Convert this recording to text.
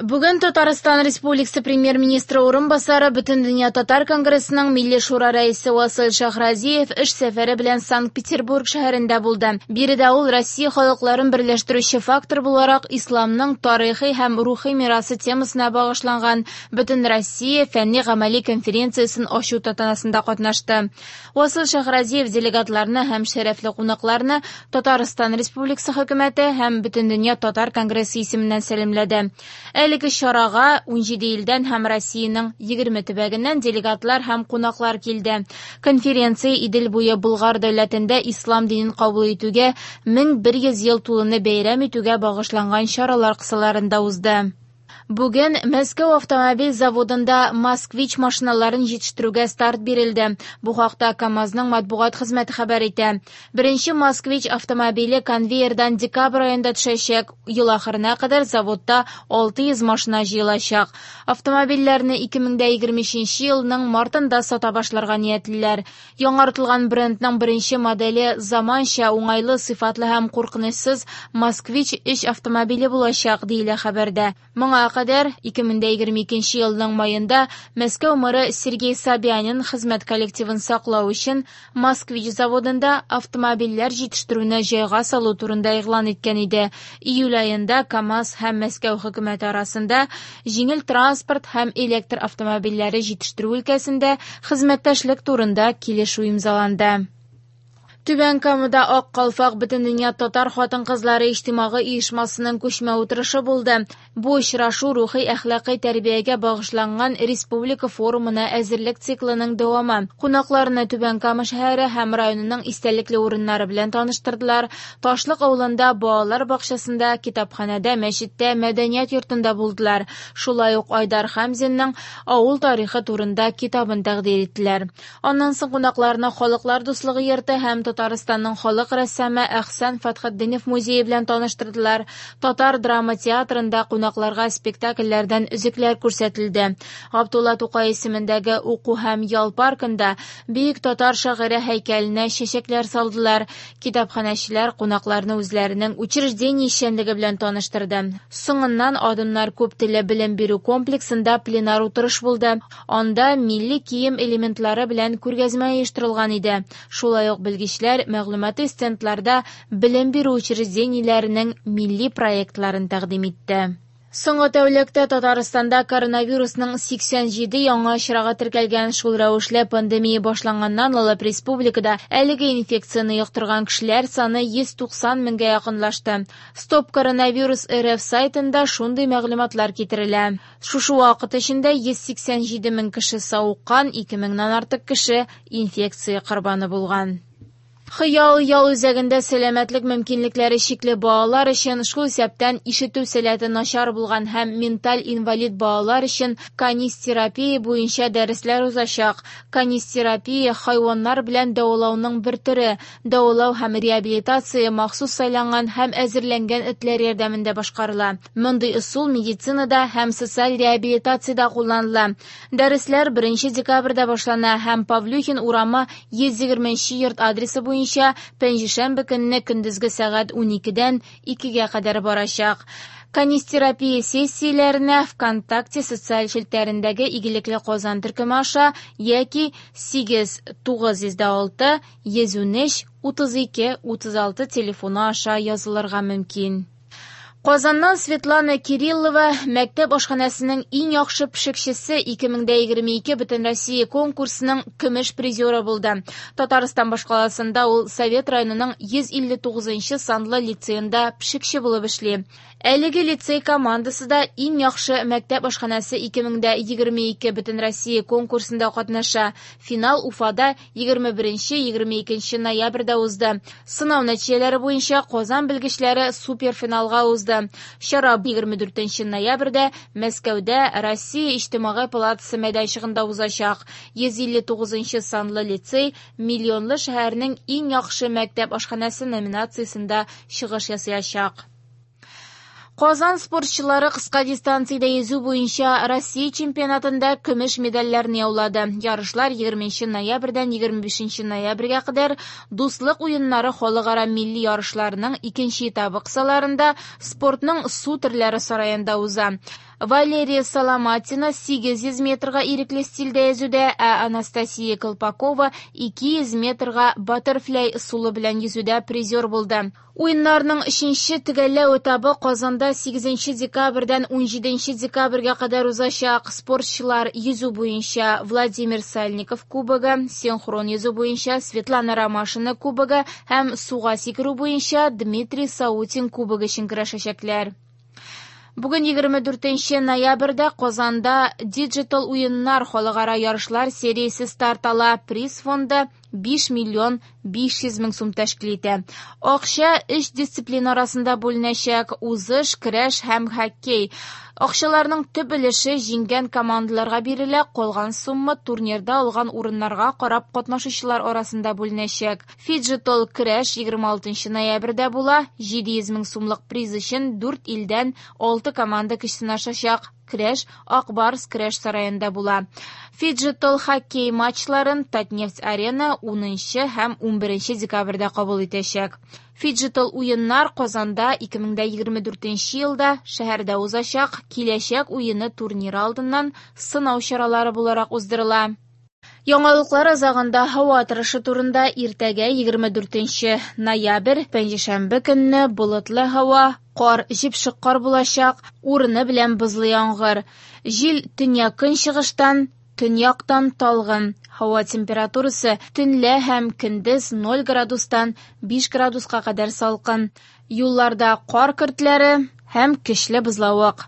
Бүген Татарстан Республикасы Премьер-министры урынбасары, Бөтендөнья татар конгрессының Милли шура рәисе Васил Шәйхразиев эш сәфәре белән Санкт-Петербург шәһәрендә булды. Биредә ул Россия халыкларын берләштерүче фактор буларак исламның тарихи һәм рухи мирасы темасына багышланган Бөтенроссия фәнни-гамәли конференциясен ачу тантанасында катнашты. Васил Шәйхразиев делегатларны һәм шәрәфле кунакларны Татарстан Республикасы хөкүмәте һәм Бөтендөнья татар конгрессы исеменнән сәламләде. Әлеге чарага 17 илдән һәм Россиянең 20 төбәгеннән делегатлар һәм кунаклар килде. Конференция Идел буе Болгар дәүләтендә ислам динен кабул итүгә 1100 ел тулуны бәйрәм итүгә багышланган чаралар кысаларында узды. Бүген Мәскәү автомобиль заводында «Москвич» машиналарын җитештерүгә старт бирелде. Бу хакта КАМАЗның матбугат хезмәте хәбәр итә. Беренче «Москвич» автомобиле конвейердан декабрь аенда төшәчәк. Ел ахырына кадәр заводта 600 машина җыелачак. Автомобильләрне 2023 елның мартында сата башларга ниятлиләр. Яңартылган брендның беренче моделе заманча, уңайлы, сыйфатлы һәм куркынычсыз «Москвич» 3 автомобиле булачак, диелә хәбәрдә. Моңа кадәр 2022 елның маенда Мәскәү мэры Сергей Собянин хезмәт коллективын саклау өчен «Москвич» заводында автомобильләр җитештерүне җайга салу турында игълан иткән иде. Июль аенда КАМАЗ һәм Мәскәү хөкүмәте арасында җиңел транспорт һәм электр автомобильләре җитештерү өлкәсендә хезмәттәшлек турында килешү имзаланды. Түбән Камада Ак калфак Бөтендөнья татар хатын-кызлары иҗтимагый оешмасының күчмә утырышы булды. Бу очрашу рухи әхлакый тәрбиягә багышланган республика форумына әзерлек циклының дәвамы. Кунакларны Түбән Кама шәһәре һәм районының истәлекле урыннары белән таныштырдылар. Ташлык авылында балалар бакчасында, китапханәдә, мәчеттә, мәдәният йортында булдылар. Шулай ук Айдар Хәмзинның авыл тарихы турында китабын тәкъдир иттеләр. Аннан соң кунакларны Халыклар дуслыгы йорты һәм Татарстанның халык рәссамы Әхсән Фәтхетдинов музее белән таныштырдылар. Татар драма театрында кунакларга спектакльләрдән өзекләр күрсәтелде. Габдулла Тукай исемендәге уку һәм ял паркында бөек татар шагыйре һәйкәленә чәчәкләр салдылар. Китапханәчеләр кунакларны үзләренең учреждение эшчәнлеге белән таныштырды. Соңыннан Адымнар күп телле белем бирү комплексында пленар утырыш булды. Анда милли кием элементлары белән күргәзмә оештырылган иде. Шулай ук белгечләр мәгълүмати стендларда белем бирү учреждениеләренең милли проектларын тәкъдим итте. Соңгы тәүлектә Татарстанда коронавирусның 87 яңа очрагы теркәлгән. Шул рәвешле пандемия башланганнан алып республикада әлеге инфекцияне йоктырган кешеләр саны 190 меңгә якынлашты. Стоп коронавирус РФ сайтында шундый мәгълүматлар китерелә. Шушы вакыт эчендә 187 мең кеше савыккан, 2 меңнән артык кеше инфекция корбаны булган. Хыял ял үзәгендә сәламәтлек мөмкинлекләре чикле балалар өчен, шул исәптән ишетү сәләте начар булган һәм менталь инвалид балалар өчен канистерапия буенча дәресләр узачак. Канистерапия хайваннар белән дәвалауның бер төре. Дәвалау һәм реабилитация махсус сайланган һәм әзерләнгән этләр ярдәмендә башкарыла. Мондый ысул медицинада һәм социаль реабилитациядә кулланыла. Дәресләр 1 декабрьдә башлана һәм Павлюхин урамы 120 йорт адресы буенча пәнҗешәмбе көнне көндезге сәгать 12-дән 2-гә кадәр барачак. Канистерапия сессияләренә ВКонтакте социаль челтәрендәге Игелекле Казан төркеме аша яки 8 906 113 32 36 телефоны аша язылырга мөмкин. Казаннан Светлана Кириллова мәктәп ашханәсенең иң яхшы пешекчесе 2022 Бөтенроссия конкурсының көмеш призеры булды. Татарстан башкаласында ул Совет районының 159 санлы лицеенда пешекче булып эшли. Әлеге лицей командасы да иң яхшы мәктәп ашханәсе 2022 Бөтенроссия конкурсында катнаша. Финал Уфада 21-22 ноябрьдә узды. Сынау нәтиҗәләре буенча Казан белгечләре суперфиналга узды. Чара 24 ноябрьдә Мәскәүдә Россия Иҗтимагый палатасы мәйданчыгында узачак. 159 санлы лицей миллионлы шәһәрнең иң яхшы мәктәп ашханәсе номинациясендә чыгыш ясаячак. Казан спортчылары кыска дистанциядә йөзү буенча Россия чемпионатында көмеш медальләрне яулады. Ярышлар 20 ноябрьдән 25 ноябрьгә кадәр Дуслык уеннары халыкара милли ярышларының икенче этабы кысаларында спортның су төрләре сараенда уза. Валерия Соломатина 800 метрга ирекле стильдә йөзүдә, ә Анастасия Колпакова 200 метрга баттерфляй ысулы белән йөзүдә призер булды. Уеннарның өченче төгәлләү этабы Казанда 8 декабрьдән 17 декабрьгә кадәр узачак. Спортчылар йөзү буенча Владимир Сальников кубогы, синхрон йөзү буенча Светлана Ромашина кубогы һәм суга сикерү буенча Дмитрий Саутин кубогы өчен көрәшәчәкләр. Бүген 24 ноябрьдә Казанда Digital уеннар халыкара ярышлар сериясе старт ала. Приз фонды 5 миллион 500 мең сум тәшкил итә. Акча өч дисциплина арасында бүленәчәк: узыш, көрәш һәм хоккей. Акчаларның төп өлеше җиңгән командаларга бирелә, калган сумма турнирда алган урыннарга карап катнашучылар арасында бүленәчәк. Фиджитал көрәш 26 ноябрьдә була. 700 мең сумлык приз өчен 4 илдән 6 команда көч сынашачак. Көрәш Ак Барс көрәш сараенда була. Фиджитал хоккей матчларын Татнефть-Арена 10 һәм 11 декабрьдә кабул итәчәк. Фиджитал уеннар Казанда 2024 елда шәһәрдә узачак Киләчәк уены турниры алдыннан сынау чаралары буларак уздырыла. Яңалыклар азагында һава торышы турында: иртәгә, 24 ноябрь, пәнҗешәмбе көнне болытлы һава, кар, җепшек кар булачак, урыны белән бозлы яңгыр. Җил төньяк-көнчыгыштан, төньяктан талгын. Һава температурасы төнлә һәм көндез 0 градустан 5 градуска кадәр салкын. Юлларда кар көртләре һәм көчле бозлавык.